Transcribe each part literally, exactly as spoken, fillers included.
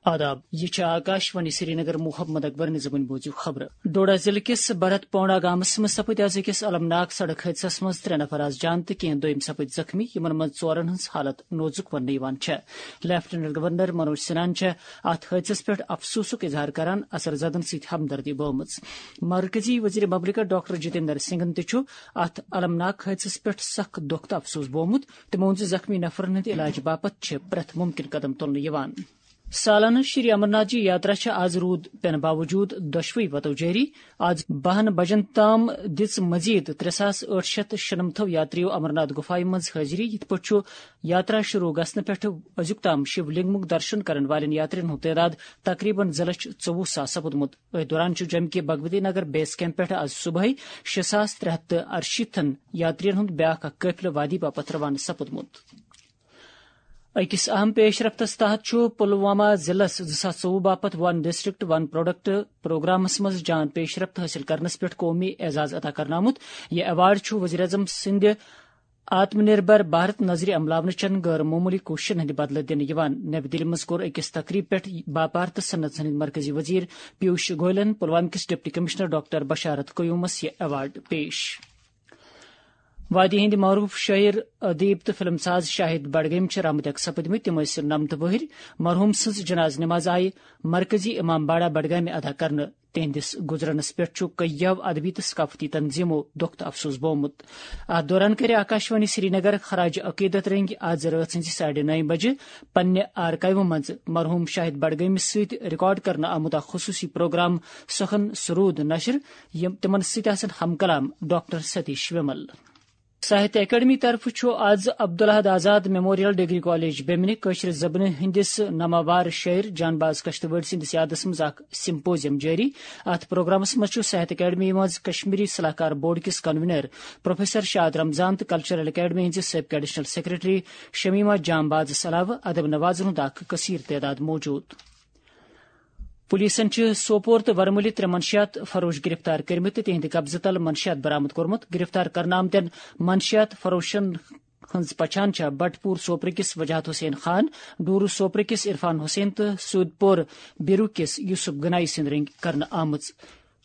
آداب، یہ چھِ آکاشوانی سرینگر۔ محمد اکبر نظامن بوزِو خبرٕ۔ ڈوڈا ضلعہٕ کِس بھرت پونڈا گامس منٛز سپٕدۍ از أکِس المناک سڑک حٲدثس منٛز ترٛےٚ نفر از جان تہٕ کینٛہہ دوٚیِم سپٕدۍ زخمی، یِمن منٛز ژورن ہٕنٛز حالت نوزُک وننہٕ یِوان چھےٚ۔ لیفٹیننٹ گورنر منوج سنہاہن چھےٚ اتھ حٲدثس پٮ۪ٹھ افسوسُک اظہار کران اثر زدن سۭتۍ ہمدردی بٲومٕژ۔ مرکزی وزیر مملکت ڈاکٹر جتیندر سنگھن تہِ چھُ اتھ المناک حٲدثس پٮ۪ٹھ سخ دۄکھ تہٕ افسوس بوومُت۔ تٔمۍ ووٚن زِ زخمی نفرن ہٕنٛدِ علاجہٕ باپتھ چھِ پرٛٮ۪تھ مُمکِن قدم تُلنہٕ یِوان۔ سالانہٕ شری امرناتھ جی یاترا چھےٚ آز روٗد پٮ۪نہٕ باوجوٗد دۄشوٕے وتو جٲری۔ آز بَہَن بجن تام دِژ مزید ترٛےٚ ساس ٲٹھ شیٚتھ شُنَمتھو یاترِیو امرناتھ گُفایہِ منٛز حٲضری۔ یِتھ پٲٹھۍ چھُ یاترا شروع گژھنہٕ پٮ۪ٹھٕ أزیُک تام شِو لنگمُک درشن کرن والٮ۪ن یاترِین ہُنٛد تعداد تقریباً زٕ لچھ ژوٚوُہ ساس سپُدمُت۔ أتھۍ دوران چھُ جمہِ کہِ بھگوتی نگر بیس کیمپ پٮ۪ٹھٕ آز صبحٲے شےٚ ساس ترٛےٚ ہتھ تہٕ ارشیٖتھن یاترِین ہُنٛد بیٛاکھ اکھ قٲفلہٕ وادی باپتھ روانہٕ سپُدمُت۔ أکِس اہم پیش رفتس تحت چھُ پلوامہ ضلعس زٕ ساس ژوٚوُہ باپتھ ون ڈسٹرکٹ ون پروڈکٹ پروگرامس منٛز جان پیش رفت حٲصِل کرنس پٮ۪ٹھ قومی اعزاز عطا کرنہٕ آمُت۔ یہِ ایوارڈ چھُ وزیر اعظم سٕنٛدِ آتم نربھر بھارت نظرِ عملاونہٕ چٮ۪ن غٲر معموٗلی کوٗششن ہٕنٛدِ بدلہٕ دِنہٕ یِوان۔ نَوِ دِلہِ منٛز کوٚر أکِس تقریٖب پٮ۪ٹھ باپار تہٕ صنعت ہٕنٛدِ مرکزی وزیر پیوش گوئلن پلوامہ کِس ڈپٹی کمشنر ڈاکٹر بشارت قیومس یہِ ایوارڈ پیش۔ وادی ہٕنٛدۍ معروف شٲعر، ادیب تہٕ فلم ساز شاہد بڈگٲمۍ چھِ رحمتک سپٕدمٕتۍ۔ تِم ٲسۍ نَمتہٕ وٕہٕرۍ۔ مرحوم سٕنٛز جناز نماز آیہِ مرکزی امام باڑہ بڈگامہِ ادا کرنہٕ۔ تِہنٛدِس گُزرنس پٮ۪ٹھ چھُ کٔیو ادبی تہٕ ثقافتی تنظیمو دۄکھ تہٕ افسوس بوومُت۔ اتھ دوران کَرِ آکاشوانی سرینگر خراج عقیدت رٔنگۍ آز رٲژ ہٕنٛزِ ساڑِ نَیہِ بجہِ پننہِ آرکایوٕ منٛز مرحوم شاہد بڈگٲمِس سۭتۍ ریکارڈ کرنہٕ آمُت اکھ خصوٗصی پروگرام سخن سرود نشر، یِم تِمن سۭتۍ آسن ہم کلام ڈاکٹر ستیش ومل۔ ساہتیہ اکیڈمی طرفہٕ چھُ آز عبدالاحد آزاد میموریل ڈگری کالج بیمنہِ کٲشرِ زبانہِ ہٕنٛدِس ناماوار شٲعر جان باز کشتوٲڑۍ سٕنٛدِس یادس منٛز اکھ سمپوزیم جٲری۔ اتھ پروگرامس منٛز چھُ ساہتیہ اکیڈمی منٛز کشمیری صلاح کار بورڈ کِس کنوینر پروفیسر شاد رمضان تہٕ کلچرل اکیڈمی ہٕنٛزِ سٲبقہٕ ایڈیشنل سیکرٹری شمیمہ جان بازس علاوٕ ادب نوازن ہُنٛد اکھ کثیر تعداد موجود۔ پولیسن چھِ سوپور تہٕ ورمُلہِ ترٛےٚ منشیات فروش گرفتار کٔرمٕتۍ تہٕ تِہنٛدِ قبضہٕ تل منشیات برآمد کوٚرمُت۔ گرفتار کرنہٕ آمتٮ۪ن منشیات فروشن ہٕنٛز پہچان چھےٚ بٹپور سوپرٕ کِس وجاہت حسین خان، ڈورو سوپرٕ کِس عرفان حسین تہٕ سودپور بیرو کِس یوسف گنایی سٕنٛدۍ رٔنگۍ کرنہٕ آمٕژ۔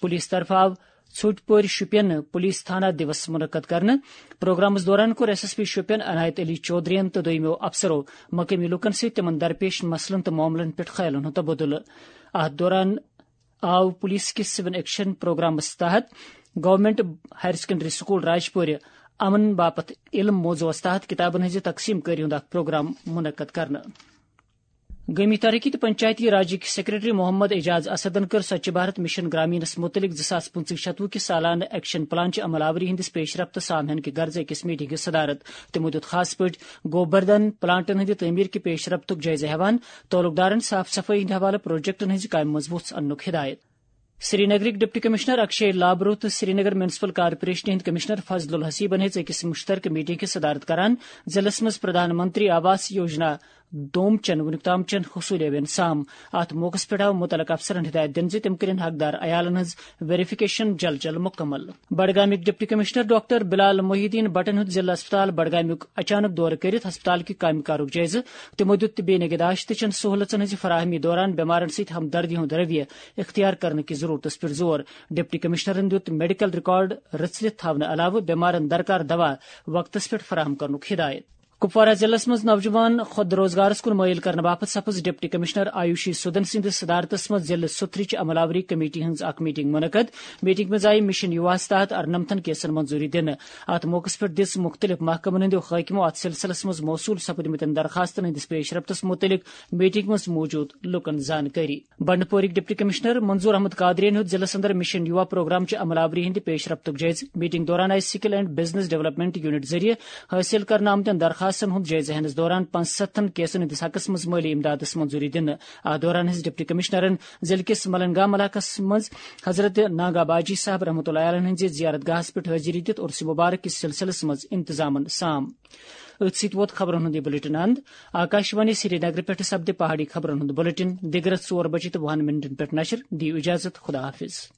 پولیس طرفہٕ آو ژھوٚٹۍ پورِ شُپین پولیس تھانہ دیوس منعقد کرنہٕ۔ پروگرامس دوران کوٚر ایس ایس پی شُپین عنایت علی چودھرین تہٕ دوٚیمٮ۪و افسرو مقٲمی لوٗکن سۭتۍ تِمن درپیش مسلن تہٕ معاملن پٮ۪ٹھ خیالن ہُنٛد تبادلہٕ۔ اتھ دوران آو پولیس کِس سول ایکشن پروگرامس تحت گورنمنٹ ہائر سیکنڈری سکول راجپورِ امن باپتھ علم موضوعس تحت کتابن ہٕنٛزِ تقسیٖم کٲری ہُنٛد اکھ پروگرام منعقد کرنہٕ۔ گٲمی ترقی تہٕ پنچایتی راجٕکۍ سیکرٹری محمد اعجاز اسدن کٔر سوچھ بھارت مشن گرامینس متعلق زٕ ساس پٕنٛژٕہ شتوُہ کہِ سالانہٕ ایکشن پلان چہِ عمل آوری ہٕنٛدِس پیش رفت سامعن کہِ غرضہٕ أکِس میٹنگہِ صدارت۔ تِمو دیُت خاص پٲٹھۍ گوبردھن پلانٹن ہٕنٛدِ تعمیٖر کہِ پیش رفتُک جٲیزٕ ہٮ۪وان تعلق دارن صاف صفٲیی ہٕنٛدِ حوالہٕ پروجیکٹن ہٕنٛزِ کامہِ منٛز وُژھ اننُک ہدایت۔ سرینگرٕکۍ ڈپٹی کمشنر اکشے لابرو تہٕ سرینگر میونسپل کارپوریشنہِ ہٕنٛدۍ کمشنر فضل الحسیبن ہیٚژ أکِس مشترکہٕ میٹنگ کہِ صدارت کران ضلعس منٛز پردھان منتری آواس یوجنا دوم چٮ۪ن وُنیُک تام چٮ۪ن حصوٗلیٲوین سام۔ اتھ موقعس پٮ۪ٹھ آو مُتعلقہٕ افسرن ہدایت دِنہٕ زِ تِم کٔرِن حقدار عیالن ہٕنٛز ویریفکیشن جل جل مُکمل۔ بڈگامٕکۍ ڈپٹی کمشنر ڈاکٹر بلال محی الدین بٹن ہیوٚت ضلع اسپتال بڈگامیُک اچانک دورٕ کٔرِتھ ہسپتال کہِ کامہِ کارُک جٲیزٕ۔ تِمو دیُت طبی نگہداشت تہٕ چٮ۪ن سہولژن ہٕنٛزِ فراہمی دوران بٮ۪مارن سۭتۍ ہمدردی ہُنٛد رویہ اختیار کرنہٕ کِس ضروٗرتس پٮ۪ٹھ زور۔ ڈپٹی کمشنرن دیُت میڈیکل ریکارڈ رٔژھلِتھ تھاونہٕ علاوٕ بٮ۪مارن درکار دوا وقتس پٮ۪ٹھ فراہم کرنُک ہدایت۔ کپوارہ ضلعس منٛز نوجوان خود روزگارس کُن مٲیِل کرنہٕ باپتھ سپٕز ڈپٹی کمشنر آیوشی سودن سٕنٛدِس صدارتس منٛز ضلعہٕ سُتھرٕچ عمل آوری کمیٹی ہٕنٛز اکھ میٹنگ منعقد۔ میٹنگ منٛز آیہِ مشن یواہس تحت ارنمتھن کیسن منظوری دِنہٕ۔ اتھ موقعس پٮ۪ٹھ دِژ مُختٔلِف محکمن ہٕنٛدیو حٲکمو اتھ سلسلس منٛز موصول سپدمٕتٮ۪ن درخاستن ہٕنٛدِس پیش رفتس مُتعلق میٹنگ منٛز موجود لوٗکن زانکٲری۔ بنڈپورٕکۍ ڈپٹی کمشنر منظور احمد قادریَن ہیوٚت ضلعس اندر مشن یوا پروگرام چہِ عمل آوری ہٕنٛدِ پیش رفتُک جٲیزٕ۔ میٹنگ دوران آیہِ skill and business development unit ذٔریعہٕ حٲصِل کرنہٕ آمتٮ۪ن درخاستن ہُنٛد جٲیزٕ ہٮ۪نَس دوران پانٛژستتھن کیسن ہٕنٛدِس حقس منٛز مٲلی امدادس منظوری دِنہٕ۔ اتھ دوران ہیٚژ ڈپٹی کمشنرن ضلعہٕ کِس ملنگام علاقس منٛز حضرت ناگا باجی صاحب رحمتہ اللہ علیہ ہٕنٛزِ زیارت گاہس پٮ۪ٹھ حٲضری دِتھ عرس مبارک کِس سلسلس منٛز انتظامن سام۔ أتھۍ سۭتۍ ووت خبرن ہُنٛد یہِ بلیٹن اند۔ آکاشوانی سرینگرٕ پٮ۪ٹھ سپدِ پہاڑی خبرن ہُنٛد بلیٹن دِگرس ژور بجے تہٕ وُہن منٹن پٮ۪ٹھ نشر۔ دِیِو اجازت، خدا حافظ۔